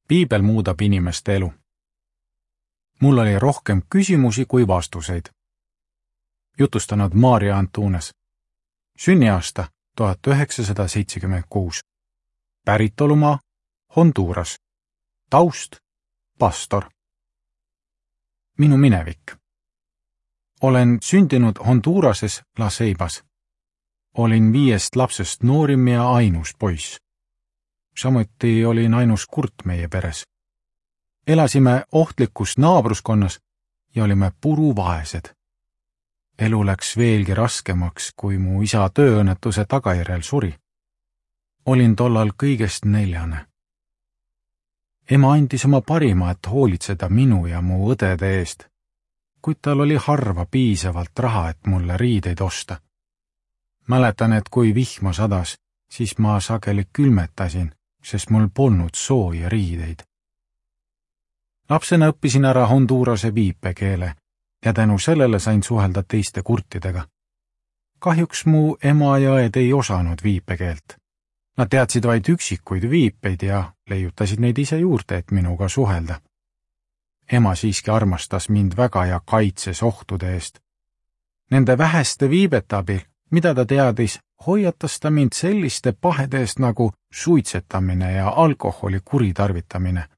Piibel muudab inimeste elu. Mul oli rohkem küsimusi kui vastuseid. Jutustanud Maarja Antunes. Sünniaasta 1976. Päritolumaa Honduras. Taust pastor. Minu minevik. Olen sündinud Hondurases La Ceibas. Olin 5 lapsest noorim ja ainus poiss. Samuti olin ainus kurt meie peres. Elasime ohtlikus naabruskonnas ja olime puruvaesed. Elu läks veelgi raskemaks, kui mu isa tööõnnetuse tagajärjel suri. Olin tollal kõigest 4. Ema andis oma parima, et hoolitseda minu ja mu õdede eest, kuid tal oli harva piisavalt raha, et mulle riideid osta. Mäletan, et kui vihma sadas, siis ma sageli külmetasin, sest mul polnud sooja riideid. Lapsena õppisin ära Hondurase viipekeele ja tänu sellele sain suhelda teiste kurtidega. Kahjuks mu ema ja õed ei osanud viipekeelt. Nad teadsid vaid üksikuid viipeid ja leiutasid neid ise juurde, et minuga suhelda. Ema siiski armastas mind väga ja kaitses ohtude eest. Nende väheste viibete abil, mida ta teadis, hoiatas ta mind selliste pahede eest nagu suitsetamine ja alkoholi kuritarvitamine.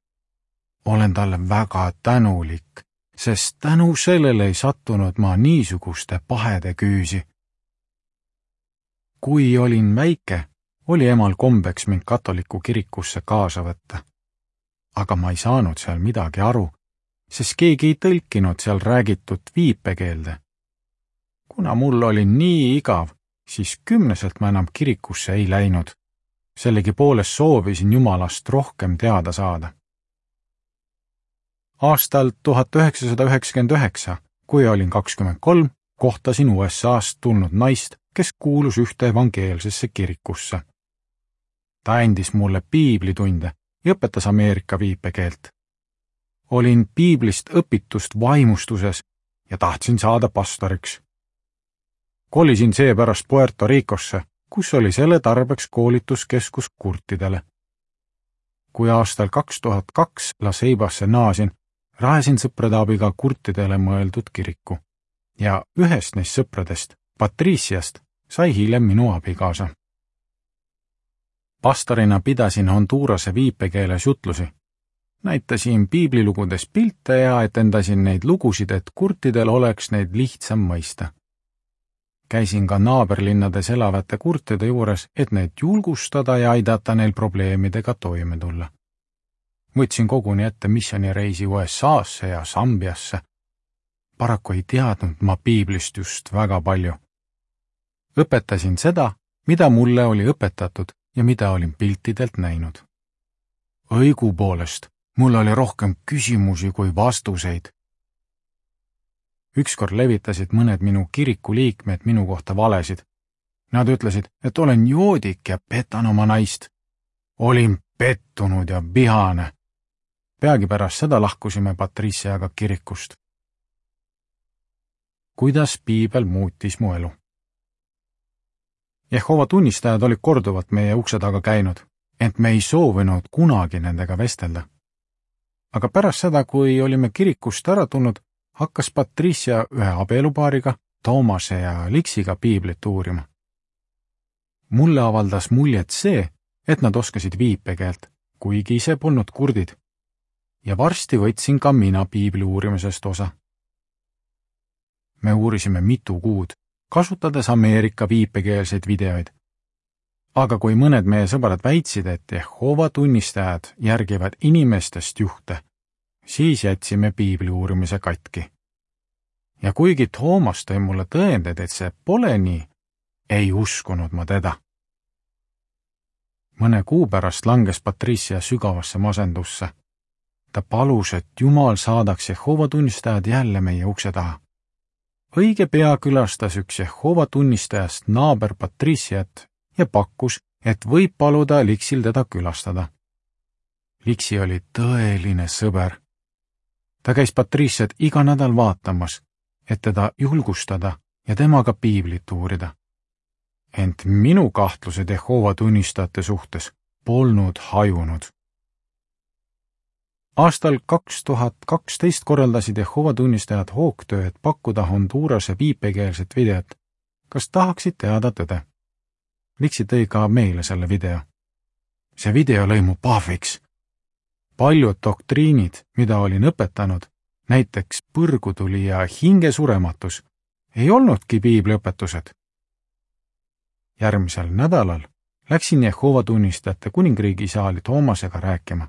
Olen talle väga tänulik, sest tänu sellele ei sattunud ma niisuguste pahede küüsi. Kui olin väike, oli emal kombeks mind katoliku kirikusse kaasa võtta. Aga ma ei saanud seal midagi aru, sest keegi ei tõlkinud seal räägitud viipekeelde. Kuna mul oli nii igav, siis 10. ma enam kirikusse ei läinud. Sellegipoolest soovisin Jumalast rohkem teada saada. Aastal 1999, kui olin 23, kohtasin USA'st tulnud naist, kes kuulus ühte evangeelsesse kirikusse. Ta andis mulle piiblitunde ja õpetas Ameerika viipekeelt. Olin piiblist õpitust vaimustuses ja tahtsin saada pastoriks. Kolisin seepärast Puerto Ricosse, kus oli selle tarbeks koolituskeskus kurtidele. Kui aastal 2002 La Ceibasse naasin, rajasin sõprade abiga kurtidele mõeldud kiriku ja ühest neist sõpradest, Patriciast, sai hiljem minu abikaasa. Pastorina pidasin Hondurase viipekeeles jutlusi. Näitasin piiblilugudes pilte ja etendasin neid lugusid, et kurtidel oleks neid lihtsam mõista. Käisin ka naaberlinnades elavate kurtide juures, et neid julgustada ja aidata neil probleemidega toime tulla. Võtsin koguni ette missioonireisi USA'sse ja Sambiasse. Paraku ei teadnud ma piiblist just väga palju. Õpetasin seda, mida mulle oli õpetatud ja mida olin piltidelt näinud. Õigupoolest, mul oli rohkem küsimusi kui vastuseid. Ükskord levitasid mõned minu kiriku liikmed minu kohta valesid. Nad ütlesid, et olen joodik ja petan oma naist. Olin pettunud ja vihane. Peagi pärast seda lahkusime Patriciaga kirikust. Kuidas piibel muutis mu elu? Jehova tunnistajad olid korduvalt meie ukse taga käinud, ent me ei soovinud kunagi nendega vestelda. Aga pärast seda, kui olime kirikust ära tulnud, hakkas Patricia ühe abielupaariga, Toomase ja Liksiga piiblit uurima. Mulle avaldas muljet see, et nad oskasid viipekeelt, kuigi ise polnud kurdid. Ja varsti võtsin ka mina piibli uurimisest osa. Me uurisime mitu kuud, kasutades Ameerika viipekeelseid videoid. Aga kui mõned meie sõbrad väitsid, et Jehova tunnistajad järgivad inimestest juhte, siis jätsime piibli uurimise katki. Ja kuigi Toomas tõi mulle tõendeid, et see pole nii, ei uskunud ma teda. Mõne kuu pärast langes Patricia sügavasse masendusse. Ta palus, et Jumal saadaks Jehova tunnistajad jälle meie ukse taha. Õige pea külastas üks Jehova tunnistajast naaber Patriciat ja pakkus, et võib paluda Liksil teda külastada. Liksi oli tõeline sõber. Ta käis Patriciat iga nädal vaatamas, et teda julgustada ja temaga piiblit uurida. Ent minu kahtlused Jehova tunnistajate suhtes polnud hajunud. Aastal 2012 korraldasid Jehova tunnistajad hoogtöö, et pakkuda Hondurase viipekeelset videot. Kas tahaksid teada tõde? Liksi tõi ka meile selle video. See video lõi mu pahviks. Paljud doktriinid, mida olin õpetanud, näiteks põrgutuli ja hingesurematus, ei olnudki piibliõpetused. Järgmisel nädalal läksin Jehova tunnistajate kuningriigi saali Toomasega rääkima.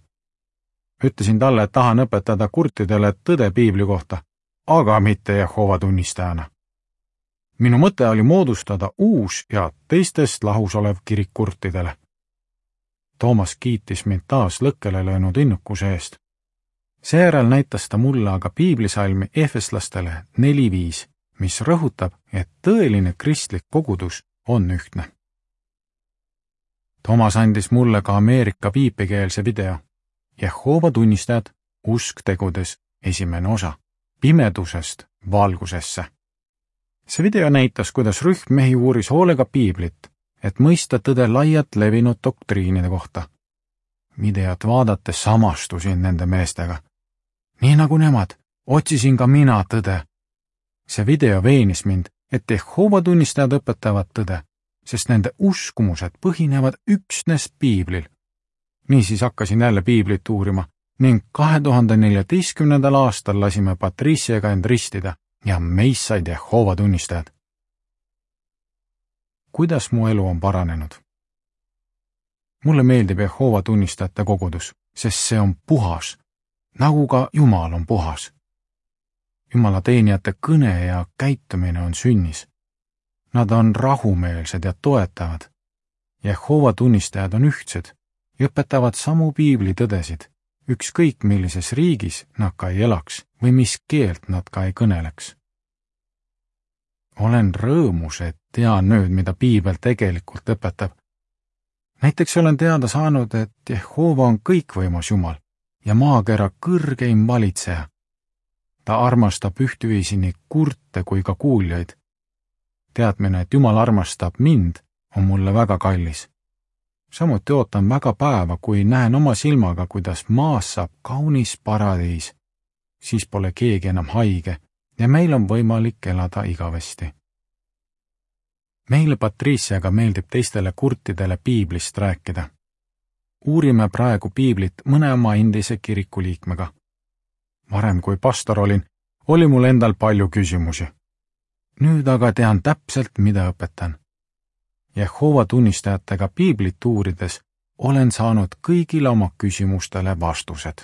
Ütlesin talle, et tahan õpetada kurtidele tõde piibli kohta, aga mitte Jehova tunnistajana. Minu mõte oli moodustada uus ja teistest lahus olev kirik kurtidele. Toomas kiitis mind taas lõkkele löönud innukuse eest. Seejärel näitas ta mulle aga piiblisalmi Efeslastele 4:5, mis rõhutab, et tõeline kristlik kogudus on ühtne. Toomas andis mulle ka Ameerika viipekeelse video. Jehova tunnistajad, usk tegudes, 1. osa, pimedusest valgusesse. See video näitas, kuidas rühm mehi uuris hoolega piiblit, et mõista tõde laialt levinud doktriinide kohta. Videot vaadates samastusin nende meestega. Nii nagu nemad, otsisin ka mina tõde. See video veenis mind, et Jehova tunnistajad õpetavad tõde, sest nende uskumused põhinevad üksnes piiblil. Niisiis hakkasin jälle piiblit uurima ning 2014. aastal lasime Patriciaga end ristida ja meist said Jehova tunnistajad. Kuidas mu elu on paranenud? Mulle meeldib Jehova tunnistajate kogudus, sest see on puhas, nagu ka Jumal on puhas. Jumala teenijate kõne ja käitumine on sünnis. Nad on rahumeelsed ja toetavad. Jehova tunnistajad on ühtsed ja õpetavad samu piiblitõdesid, ükskõik millises riigis nad ka ei elaks või mis keelt nad ka ei kõneleks. Olen rõõmus, et tean nüüd, mida piibel tegelikult õpetab. Näiteks olen teada saanud, et Jehova on kõikvõimas Jumal ja maakera kõrgeim valitseja. Ta armastab ühtviisi nii kurte kui ka kuuljaid. Teadmine, et Jumal armastab mind, on mulle väga kallis. Samuti ootan väga päeva, kui näen oma silmaga, kuidas maas saab kaunis paradiis. Siis pole keegi enam haige ja meil on võimalik elada igavesti. Meile Patriciaga meeldib teistele kurtidele piiblist rääkida. Uurime praegu piiblit mõne oma endise kiriku liikmega. Varem kui pastor olin, oli mul endal palju küsimusi. Nüüd aga tean täpselt, mida õpetan. Jehova tunnistajatega piiblit uurides olen saanud kõigile oma küsimustele vastused.